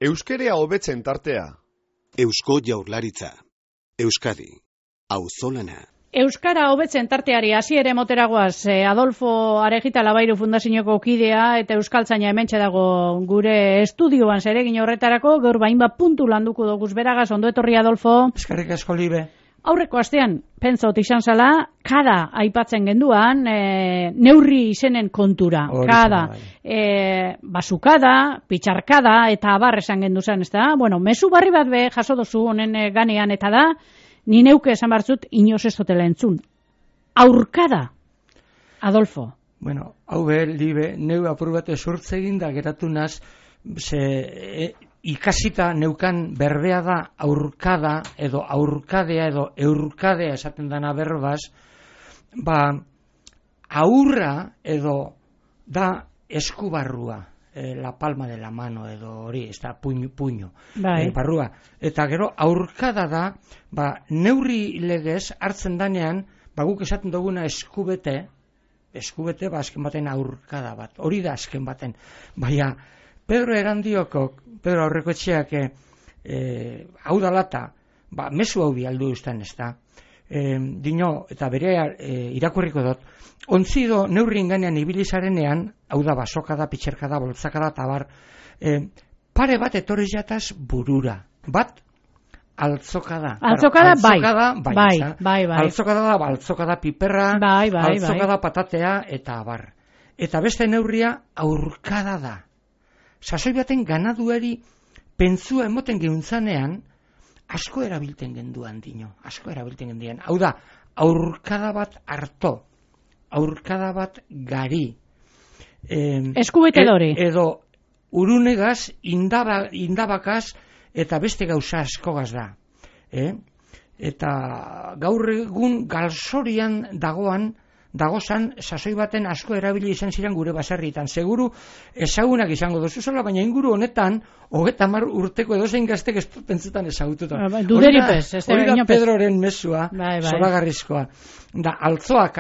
Euskerea hobetzen tartea. Eusko Jaurlaritza. Euskadi. Auzolana. Euskara hobetzen tarteari hasiere moteragoaz, Adolfo Arejita Labairu Fundazioko kidea eta euskaltzaina hementxe dago gure estudioan zeregin horretarako, gaur bainbat puntu landuko doguz beragaz, ondo etorri Adolfo. Eskerrik asko Libe. Aurreko astean, pentsot izan zala, kada aipatzen genduan, neurri izenen kontura. Kada, basukada, pitxarkada, eta abar esan gendu zen, ez da? Bueno, mezu barri bat be jaso dozu honen ganean, eta da, ni neuke esan barzut, inoz ez dutela entzun. Aurkada, Adolfo. Bueno, hau be, Libe, neu apur bat esurtze egin da, geratu naz, ikasita neukan berbea da aurkada edo aurkadea edo eurkadea esaten dana berbaz, aurra edo da eskubarrua, la palma de la mano edo hori, ez da puño, barrua. Eta gero aurkada da, neurri legez hartzen danean, guk esaten duguna eskubete, azken baten aurkada bat, hori da azken baten, baina Pedro Aurrekoetxeak hau dalata, mezu hau bialdu uzten ez da, dino, eta bere irakurriko dut, ontzido neurrin ganean ibilizarenean, hau da basokada, pitxerkada, boltzakada, tabar, pare bat etorri jataz burura, bat altzokada. Altzokada, bai. Altzokada da, altzokada piperra, altzokada patatea, eta abar. Eta beste neurria aurkada da. Sasoi baten ganaduari pentsua emoten gehuntzanean, asko erabilten genduan dino, Hau da, aurkada bat harto, aurkada bat gari. Eskubete dori. Edo urunegaz, indabakaz, eta beste gauza askogaz da. Eta gaur egun galzorian dagozan sasoi baten asko erabili izan ziren gure baserritan. Seguru ezagunak izango dozu zola, baina inguru honetan 30 urteko edozein gaztek ez pentsetan ezagututa. Hori da Pedroren mesua, zoragarrizkoa. Da, altzoa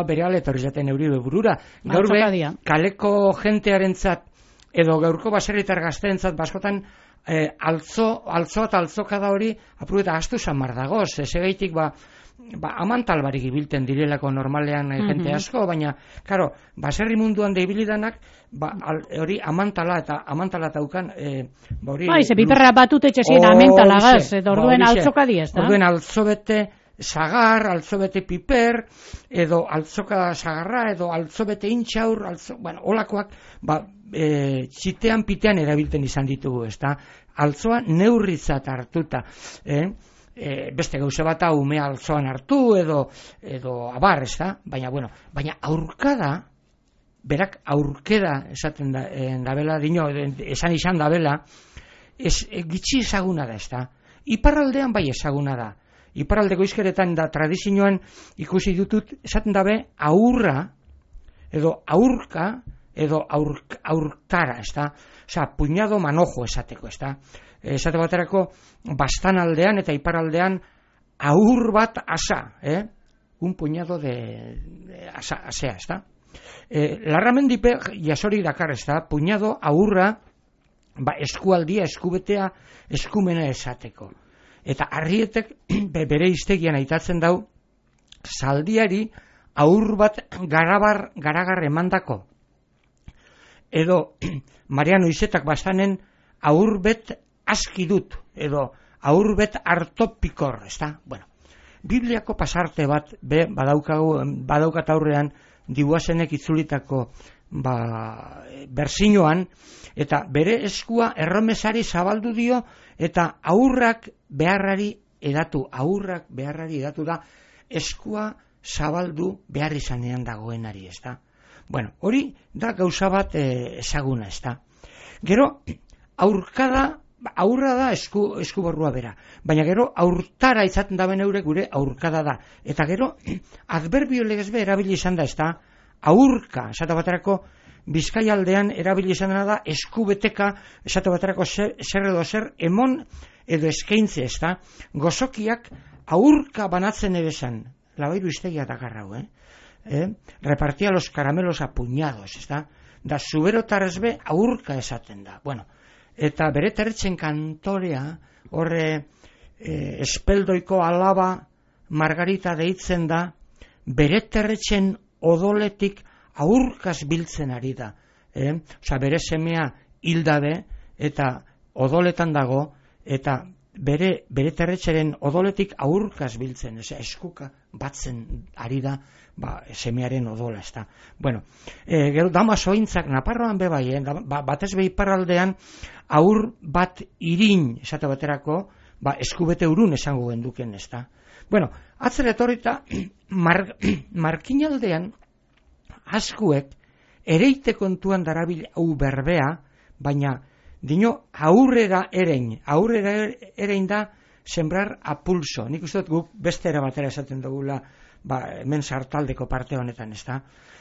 bereale etorri zaten euribe burura. Gaur be, kaleko jentearentzat edo gaurko baserritar gazteentzat baskotan altzoa eta altzokada hori apuru eta astu samar dagoz. Ezegaitik amantal barik ibilten direlako normalean jente asko, baina, karo, baserri munduan da ibilidanak, hori amantala eta ukan, ze piperra batut etxezien amantalagaz, eta orduen altzokadi ez da? Orduen altzobete sagar, altzobete piper, edo altzoka sagarra, edo altzobete intxaur, olakoak, txitean pitean erabilten izan ditugu, ez da? Altzoa neurritzat hartuta, beste gauze bat umea altzoan hartu edo abar, ez da? Baina aurkada, berak aurkeda esaten dabela, esan izan dabela, gitxi ezaguna da, ez da? Iparraldean bai ezaguna da. Iparraldeko izkeretan da tradizioan ikusi dutut, esaten dabe aurra, edo aurka, edo aurtara, ez da? Osa, puñado manojo esateko, ez da? Esate baterako bastan aldean eta iparaldean aur bat asa, un puñado de asea, ez da? Larramendipe jasori dakar, ez da? Puñado aurra eskualdia, eskubetea, eskumena esateko. Eta arrietek bere iztegian aitatzen dau zaldiari aur bat garagar emandako. Edo Mariano Izetak bastanen aurbet aski dut, edo aurbet hartopikor, ez da? Bibliako pasarte bat badaukat aurrean dibuazenek itzulitako berzinoan, eta bere eskua erromesari zabaldu dio, eta aurrak beharrari edatu da, eskua zabaldu behar izanean dagoenari, ez da? Hori da gauza bat ezaguna, ez da? Gero, aurra da eskuborrua bera, baina gero aurtara izaten da beneure gure aurkada da. Eta gero, adverbio legezbe erabili izan da, ez da? Aurka, esate baterako, Bizkaia aldean erabili izan da eskubeteka, esate baterako zer edo zer emon edo eskaintze, ez da? Gozokiak aurka banatzen ere zen, labairu iztegia dakarrau, repartia los caramelos a puñados, da zuberotarrezbe aurka esaten da. Bueno, eta bere terretzen kantorea, horre espeldoiko alaba Margarita deitzen da, bere terretzen odoletik aurkaz biltzen ari da. Bere semea hildabe eta odoletan dago, eta bere terretxeren odoletik aurkaz biltzen, eskuka batzen ari da, semearen odola, Bueno, gero damasointzak Naparroan bebai, batez behi iparraldean aur bat irin, esate baterako, eskubete urun esango genduken, Bueno, atzera etorrita, markinaldean askuek ereite kontuan darabil hau berbea, baina dino aurrera erein da sembrar a pulso. Nik uste dut guk beste era batera esaten dugula, hemen sartaldeko parte honetan,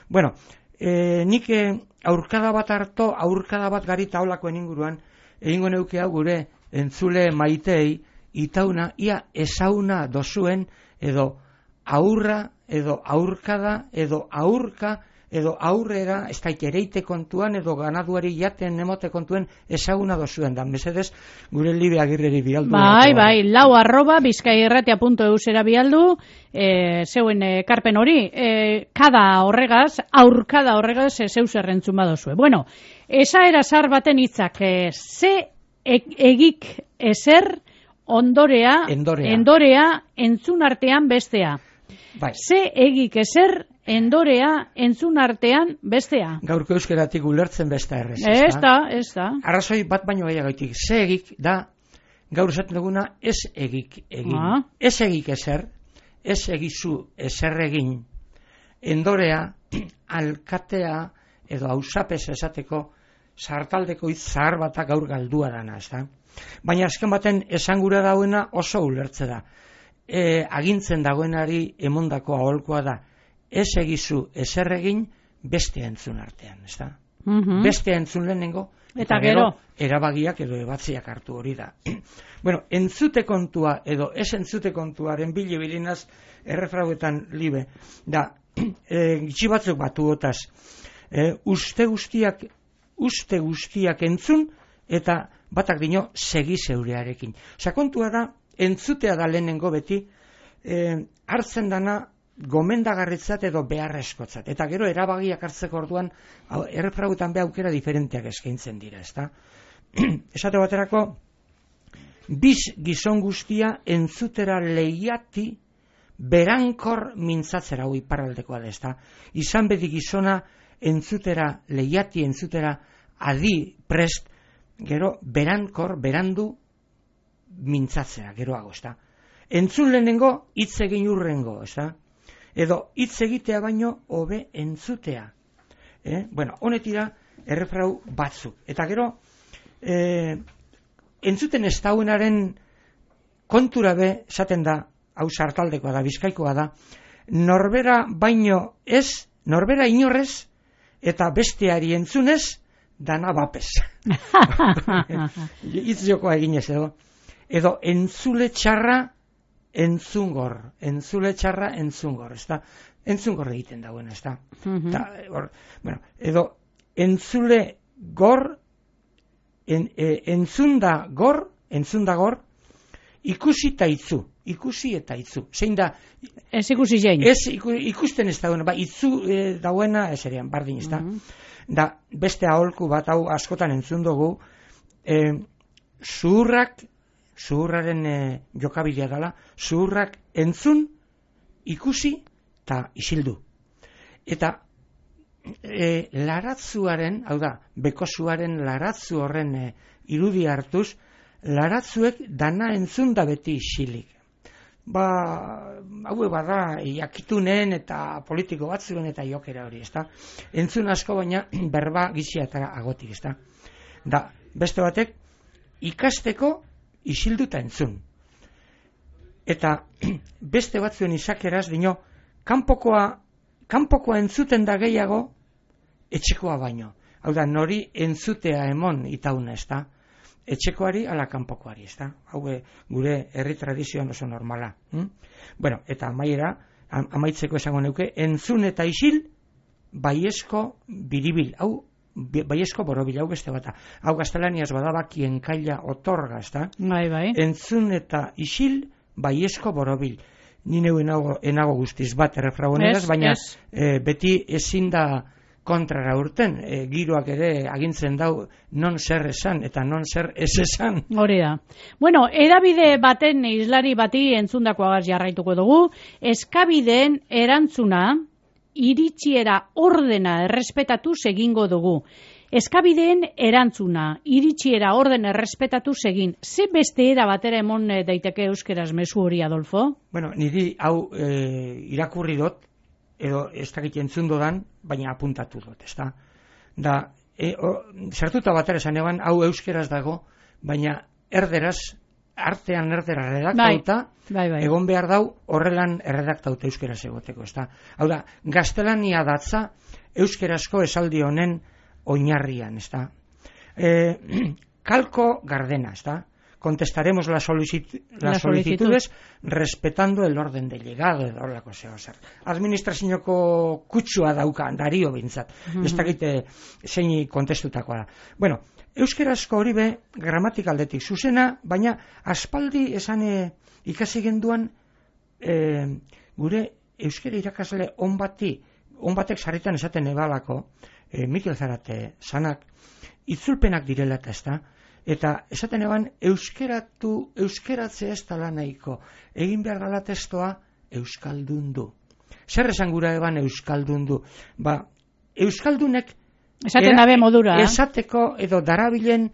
Bueno, nik aurkada bat garita holako inguruan, egingo neuke hau gure entzule maitei, itauna, ia esauna dozuen, edo aurra, edo aurkada, edo aurka, edo aurrera, ez daik ereite kontuan, edo ganaduari jaten emote kontuen esaguna dozuen, dan mesedez, gure Libe Agirreri bialdu. Bai, lau@bizkaierratia.eusera bialdu, zeuen ekarpen hori, kada horregaz, aurkada horregaz, zeus errentzun badozue. Bueno, esaera zar baten hitzak, ze egik ezer, endorea, entzun artean bestea. Bai. Ze egik ezer, endorea, entzun artean bestea. Gaurko euskeratik ulertzen besta errez. Ez da. Arrazoi bat baino gehiagoitik. Ze egik da, gaur esaten duguna, ez egik egin. Ez egik ezer, ez egizu ezer egin, endorea, alkatea, edo hausapes esateko, sartaldeko hitz zahar batak gaur galdua dana, Baina azken baten esangura dauena oso ulertze da. Agintzen dagoenari emondako aholkoa da, ez egizu ezer egin beste entzun artean, Beste entzun lehenengo, eta gero erabagiak edo ebatziak hartu hori da. Bueno, entzute kontua edo ez entzute kontuaren bilinaz errefrauetan Libe, da, gitxi batzuk batuotaz, uste guztiak entzun, eta batak dino segi zeurearekin. Kontua da, entzutea da lehenengo beti, hartzen dana gomendagarritzat edo beharrezkotzat. Eta gero erabagiak hartzeko orduan, errefrauetan be aukera diferenteak eskaintzen dira, Esate baterako, biz gizon guztia entzutera lehiati berankor mintzatzera, hau iparraldekoa da, Izan bedi gizona entzutera lehiati, entzutera adi prest, gero berandu mintzatzera, geroago, Entzun lehenengo, hitz egin urrengo, Edo hitz egitea baino, hobe entzutea. Bueno, honetira, errefrau batzuk. Eta gero, entzuten ez dauenaren kontura be, esaten da, hau sartaldekoa da, bizkaikoa da, norbera baino ez, norbera inorrez, eta besteari entzunez, dana bapes. Hitz jokoa eginez edo entzule txarra entzungor, entzungor egiten dagoen, edo entzule gor, entzunda gor, ikusi eta itzu. Zein da? Ez ikusi zein. Ikusten ez dagoena, itzu dagoena, ez erian, bardin, Da, beste aholku bat hau askotan entzun dugu, zuhurraren jokabilia dela, zuhurrak entzun, ikusi eta isildu. Eta laratzuaren, hau da, bekozuaren laratzu horren irudi hartuz, laratzuek dana entzun da beti isilik. Hau bada jakitunen eta politiko batzuen eta jokera hori, Entzun asko baina berba gizia eta agotik, Da, beste batek, ikasteko isilduta entzun. Eta beste batzuen izakeraz, dino, kanpokoa entzuten da gehiago, etxekoa baino. Hau da, nori entzutea emon itauna, etxekoari ala kanpokoari, ezta? Hau gure herri tradizioan oso normala. Bueno, eta amaitzeko esango neuke, entzun eta isil, baiezko biribil, hau baiezko borobil, hau beste bata. Hau gaztelaniaz badaba quien calla otorga, ezta? Bai. Entzun eta isil, baiezko borobil. Ni neu enago guztiz bat errefragoneraz, baina beti ezin da kontrara urten, giroak ere agintzen dau non zer esan eta non zer ez esan. Hori da. Bueno, edabide baten islari bati entzundakoagaz jarraituko dugu, eskabideen erantzuna iritziera ordena errespetatuz egingo dugu. Eskabideen erantzuna, iritziera orden errespetatu egin. Ze beste era batera emon daiteke euskeraz mezu hori, Adolfo? Bueno, niri hau irakurri dut, edo ez dakit entzun dodan, baina apuntatu dut, ezta? Da, sartuta batera esan eban, hau euskeraz dago, baina artean erdera redaktauta, bai. Egon behar dau horrelan erredaktauta euskeraz egoteko, ezta? Hau da, gaztelania datza euskerazko esaldi honen oinarrian, ezta? Calco Gardena, ezta? Contestaremos las solicitudes respetando el orden de llegado edo horrelako zer. Administrazioko kutsua dauka Dario bintzat. Ez dakite zein kontestutakoa da. Bueno, euskerazko hori be gramatikaletik zuzena, baina aspaldi esan ikasi genduan gure euskera irakasle on batek sarritan esaten ebalako, Mikel Zarate sanak, itzulpenak direla eta ezta, eta esaten eban euskeratzea ez dala nahiko, egin behar dala testoa euskaldundu. Zer esan gura eban euskaldundu? Ba, euskaldunek esaten dabe modura. Esateko edo darabilen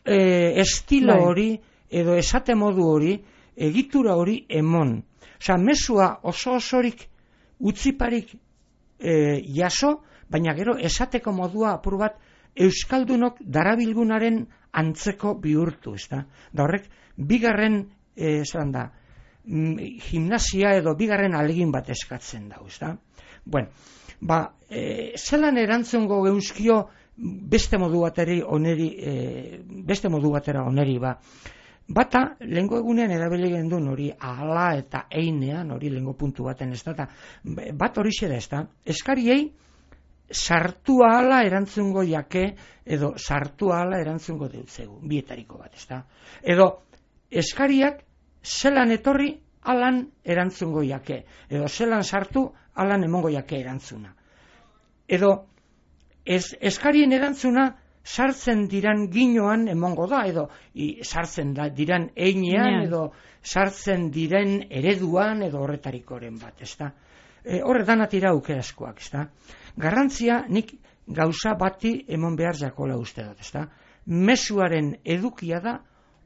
estilo hori, edo esate modu hori, egitura hori emon. Osa, mesua osorik utziparik jaso, baina gero esateko modua apur bat euskaldunok darabilgunaren antzeko bihurtu, ezta? Da horrek, bigarren, gimnasia edo bigarren alegin bat eskatzen da, ezta? Bueno, zelan erantzungo euskio beste modu batera oneri, Bata, lehengo egunean erabili gendun hori ala eta einean, hori lehengo puntu baten, ez da, bat hori da, ez da, eskariei sartu ahala erantzungo jake, edo sartu ahala erantzungo deutzegu, bietariko bat, ez da. Edo, eskariak zelan etorri alan erantzungo jake, edo zelan sartu alan emongo jake erantzuna. Edo, eskarien erantzuna sartzen diran ginoan emongo da, edo sartzen diran einean, edo sartzen diren ereduan, edo horretarikoren bat, ez da. Horretan atira aukerazkoak, ez da. Garrantzia nik gauza bati emon behar jakola uste dut, ez da. Mezuaren edukia da,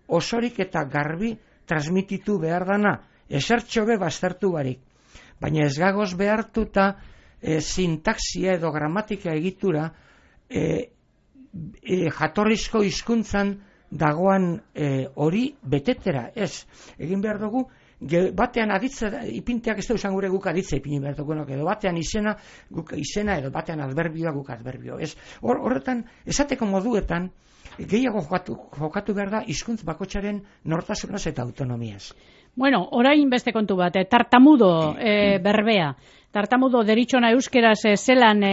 osorik eta garbi transmititu behar dana, esertxobe baztertu barik. Baina ez gagoz behartuta sintaxia edo gramatika egitura jatorrizko hizkuntzan dagoan hori betetera, ez. Egin behar dugu, batean aditza, ipinteak ez da usan gure guk aditza ipini behar dugu, edo batean izena, guk izena, edo batean adverbioa guk adverbio, ez. Horretan, esateko moduetan, gehiago jokatu behar da hizkuntz bakoitzaren nortasunaz eta autonomiaz. Bueno, orain beste kontu bat, tartamudo berbea. Tartamudo deritzona euskeraz zelan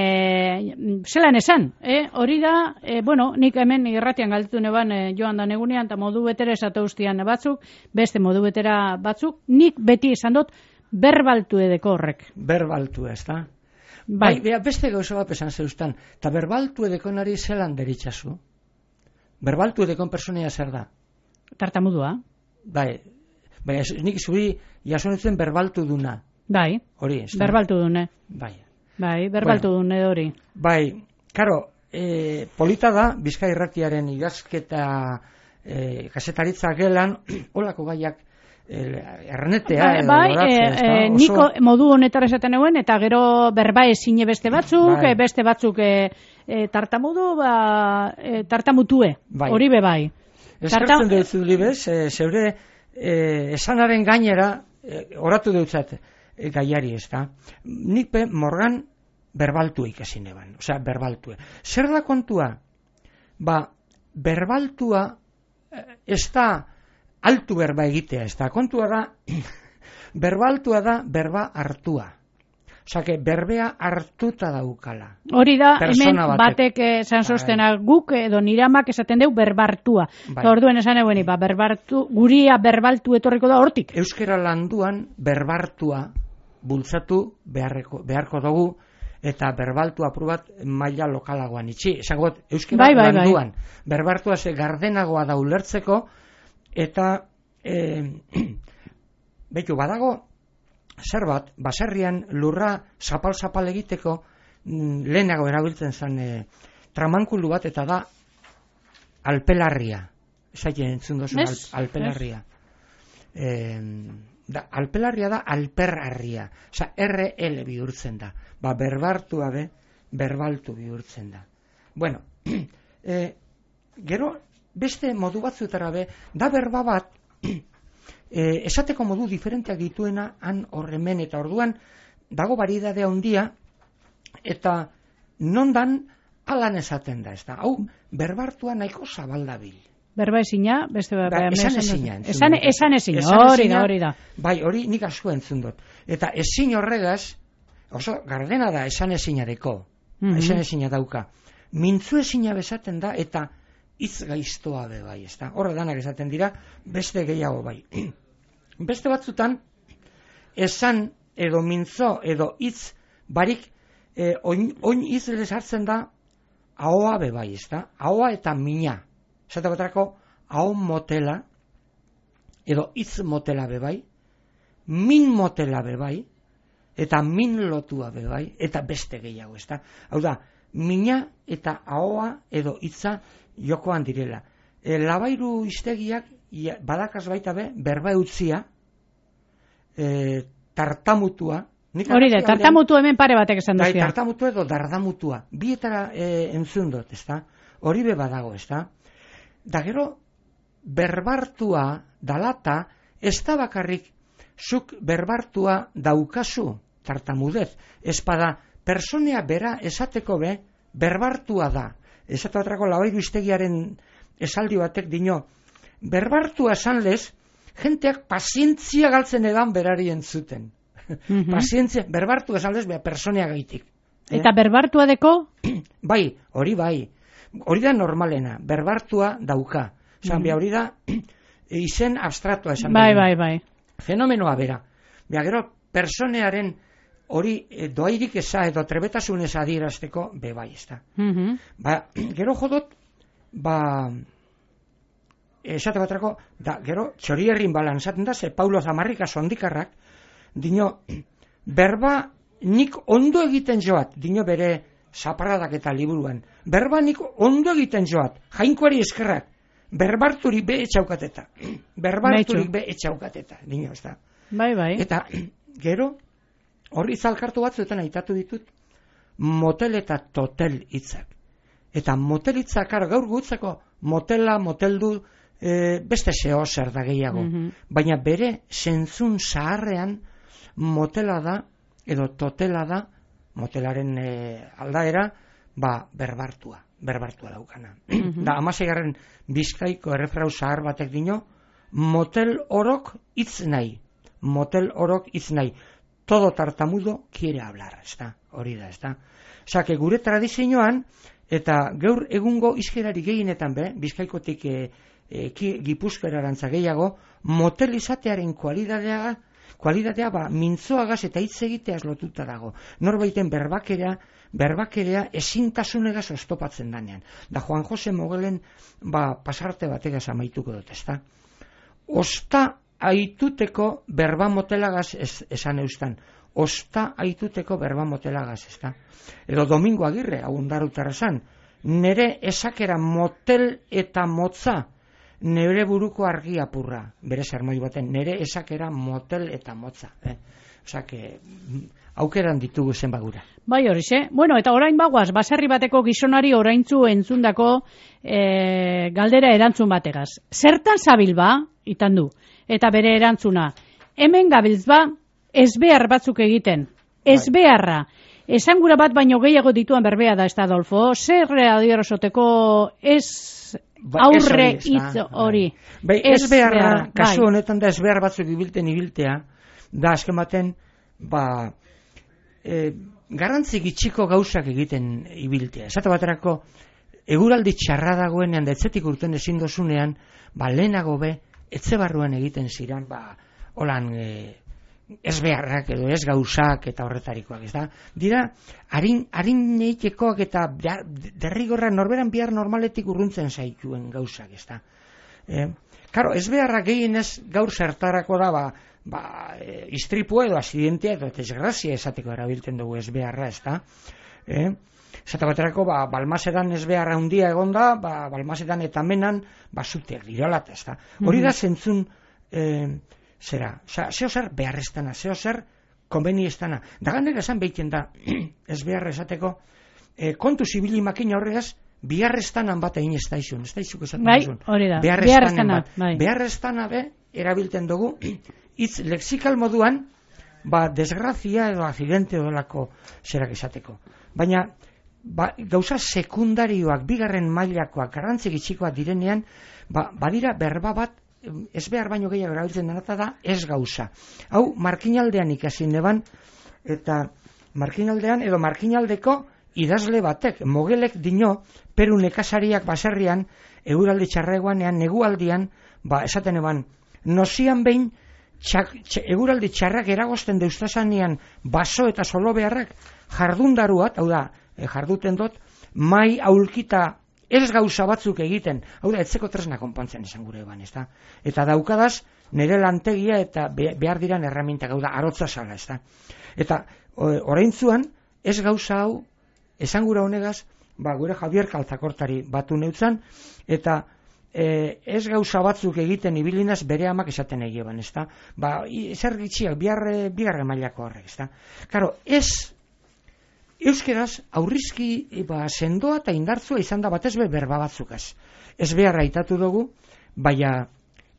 esan, hori da, nik hemen irratian galditu neban joan da negunean, eta modu betera esateustian batzuk, beste modu betera batzuk, nik beti esan dut berbaltu edeko horrek. Berbaltu ez da? Bai, beste gauza bat esan zeustan, eta berbaltu edekonari zelan deritzazu? Berbaltu edekon personea zer da? Tartamudua. Bai, nik zuri jasonetzen berbaltu duna. Bai, hori, berbaltu dune. Bai, berbaltu dune hori. Bai, karo, polita da, Bizkai Irratiaren idazketa kasetaritza gelan, holako gaiak ernetea edo loratzea. Niko modu honetara esaten euen, eta gero berba ezine beste batzuk, beste batzuk tartamutue, hori bebai. Eskertzen dut libez, zeure esanaren gainera, oratu dutzat, gaiari ez da. Nik morgan berbaltu ikasin eban. Osea, berbaltue. Zer da kontua? Berbaltua ez da altu berba egitea, ez da, kontua da, berba altua da, berba hartua. Osake, berbea hartuta daukala. Hori da, hemen batek esan sostena guk edo niramak esaten deu berbartua. Orduen esan eguen, guria berbaltu etorriko da hortik. Euskera landuan berbartua bultzatu beharko dugu, eta berbaltu aprobat maila lokalagoan itxi. Esangot, euskera landuan berbartua ze gardenagoa da ulertzeko, eta betu badago, zer bat, baserrian lurra zapal-zapal egiteko lehenago erabiltzen zen tramankulu bat, eta da alpelarria. Esaiten entzun dozun alpelarria. Alpelarria da alperarria. Osa, RL bihurtzen da. Berbartua berbaltu bihurtzen da. Bueno, gero, beste modu batzutara da berba bat, esateko modu diferenteak dituena han horremen, eta orduan dago variedadea handia, eta nondan alan esaten da, ez da. Hau, berbartua nahiko zabaldabil. Berba ezina, beste berba. Esan ezina, hori da. Bai, hori nik asko entzun dut. Eta ezin horregaz, oso gardena da esan ezinareko, esan ezina dauka. Mintzu ezina bezaten da, eta hitz gaiztoa bai, ez da. Horre danak esaten dira, beste gehiago bai. Beste batzutan, esan edo mintzo edo hitz barik, oin hitz hartzen da, ahoa bai, ez da. Ahoa eta mina. Zata batrako, aho motela, edo hitz motela bai, min motela bai, eta min lotua bai, eta beste gehiago, ez da. Hau da, mina eta ahoa edo hitza jokoan direla. Labairu iztegiak badakaz baita berba eutzia, tartamutua. Hori da, tartamutua hemen pare batek esan duzia. Tartamutua edo dardamutua. Bietara entzun dut, ez da? Hori badago, ez da? Da gero, berbartua dalata, ez da bakarrik zuk berbartua daukazu, tartamudez. Ez pada, personea bera esateko berbartua da. Esatu atrako labairu iztegiaren esaldi batek dino, berbartua esan lez, jenteak pazientzia galtzen edan berari entzuten. Pazientzia, berbartua esan lez, personea gaitik. Eta berbartua deko? Bai, hori da normalena, berbartua dauka. Hori da, izen abstratua esan. Bai. Fenomenoa bera. Gero, personearen hori doairik eza edo trebetasunez adierazteko bai, ez da. Gero jodot, esate batrako, gero txorierrin balan esaten da, ze Paulo Zamarrika sondikarrak, dino, berba nik ondo egiten joat, dino bere zaparradak eta liburuan, berba nik ondo egiten joat, jainkoari eskerrak, berbarturik etxaukateta, dino, ez da. Bai. Eta gero, horri zalkartu batzuetan aitatu ditut, motel eta totel hitzak. Eta motel hitzak, gaur gutzako, motela, moteldu, beste zeo zer da gehiago. Baina bere zentzun zaharrean motela da, edo totela da, motelaren aldaera, berbartua daukana. Da, 16. Bizkaiko errefrau zahar batek dino, motel orok hitz nahi. Todo tartamudo quiere hablar, ez da, hori da, ez da. Osake, gure tradizioan, eta gaur egungo izkerari gehienetan Bizkaikotik Gipuzkoarantza gehiago, motel izatearen kualitatea mintzoagaz eta hitz egiteaz lotuta dago. Norbaiten berbakerea ezintasunegaz oztopatzen danean. Da Juan Jose Mogelen pasarte bategaz amaituko dut, ez da. Osta aituteko berba motelagaz esan eustan. Osta aituteko berba motelagaz, ez da. Edo Domingo Agirre, hau ondarutarra esan, nere esakera motel eta motza, nere buruko argi apurra, bere sermoi baten, nere esakera motel eta motza. Osake, aukeran ditugu zen bagura. Bai horixe. Bueno, eta orain bagoaz, baserri bateko gizonari oraintzu entzundako galdera erantzun bategaz. Zertan zabil itan du? Eta bere erantzuna, hemen gabiltz ezbehar batzuk egiten. Ezbeharra. Esangura bat baino gehiago dituan berbea da, ez da, Adolfo? Zer adierosoteko ez aurre hitz hori. Bai, ez beharra, kasu honetan da ez behar batzuk ibiltea, da azken baten, garrantzi gitxiko gauzak egiten ibiltea. Esate baterako, eguraldi txarra dagoenean, da etzetik urten ezin dozunean, lehenago etxe barruan egiten ziren, holan ez beharrak edo ez gauzak eta horretarikoak, ez da? Dira, harin neitekoak eta derrigorra norberan bihar normaletik urruntzen zaituen gauzak, ez da? Karo, ez beharrak gehienez gaur zertarako da, istripua edo akzidentea edo desgrazia esateko erabiltzen dugu ez beharra, ez da? Zata baterako, Balmasedan ez beharra handia egonda, Balmasedan eta menan, zuteak diralat, ez da? Hori da zentzun, zeo zer beharreztana, zeo zer konbeniestana. Da ganera esan behiten da, ez beharra esateko, kontu zibili makina horregaz, biharreztanan bat egin ez da izun, ez da izuk esaten duzun. Hori da, biharreztana. Biharreztana erabiltzen dugu, hitz lexikal moduan, desgrazia edo akzidente odolako zerak esateko. Baina, gauza sekundarioak, bigarren mailakoak, garrantzi gitxikoak direnean, badira berba bat, ez behar baino gehiago erabiltzen denata da, ez gauza. Hau, markinaldean ikasi neban, eta markinaldean edo markinaldeko idazle batek, mogelek dino, Peru nekazariak baserrian, eguraldi txarreguanean, negualdian, esaten eban, nozian behin, eguraldi txarrak eragozten deustazanian, baso eta solo beharrak, jardundaruat, hau da, jarduten dut, mai aulkita ez gauza batzuk egiten, hau da, etzeko tresna konpontzen esan gure eban, ez da? Eta daukadaz, nire lantegia eta behar diran erramintak, hau da, arotza sala, ez da? Eta oraintzuan, ez gauza hau, esan gura honegaz, gure Javier Kaltzakortari batu neutzan, eta ez gauza batzuk egiten ibilinaz bere amak esaten egieban, ez da? Zer gitxiak, bigarren mailako horrek, ez da? Karo, euskeraz aurrizki sendoa eta indartzua izan da batez berba batzukaz. Ez beharra aitatu dugu, baina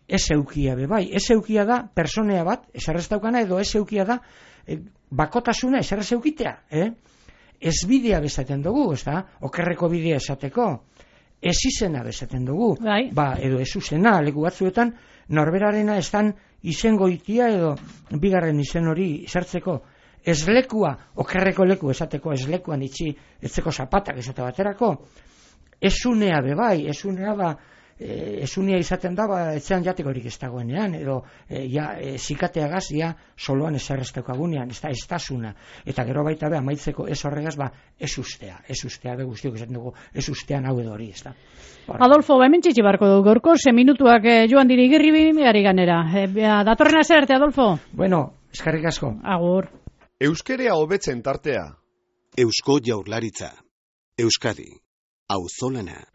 ez eukia bai. Ez eukia da personea bat, eserrez daukana, edo ez eukia da bakotasuna eserrez eukitea. Ez bidea bezaten dugu, ez da? Okerreko bidea esateko. Ez izena bezaten dugu. Edo ez uzena, leku batzuetan, norberarena estan izengoitia edo bigarren izen hori sartzeko. Ez lekua, okerreko leku esateko, ez lekuan itxi etzeko zapatak esate baterako, esunea bebai, esunea izaten da, etzean jatekorik ez dagoenean, edo zikateagaz, soloan eserrezteko agunean, ez da estasuna, eta gero baita amaitzeko ez horregaz, ez ustea guztiok esaten dugu, ez ustean hau edo hori, ez da. Adolfo, hemen txitsi barko dugu, gorko, 6 minutuak joan diri girri gari ganera. Datorren azerte, Adolfo? Bueno, eskerrik asko. Agur. Euskerea hobetzen tartea. Eusko Jaurlaritza. Euskadi. Auzolana.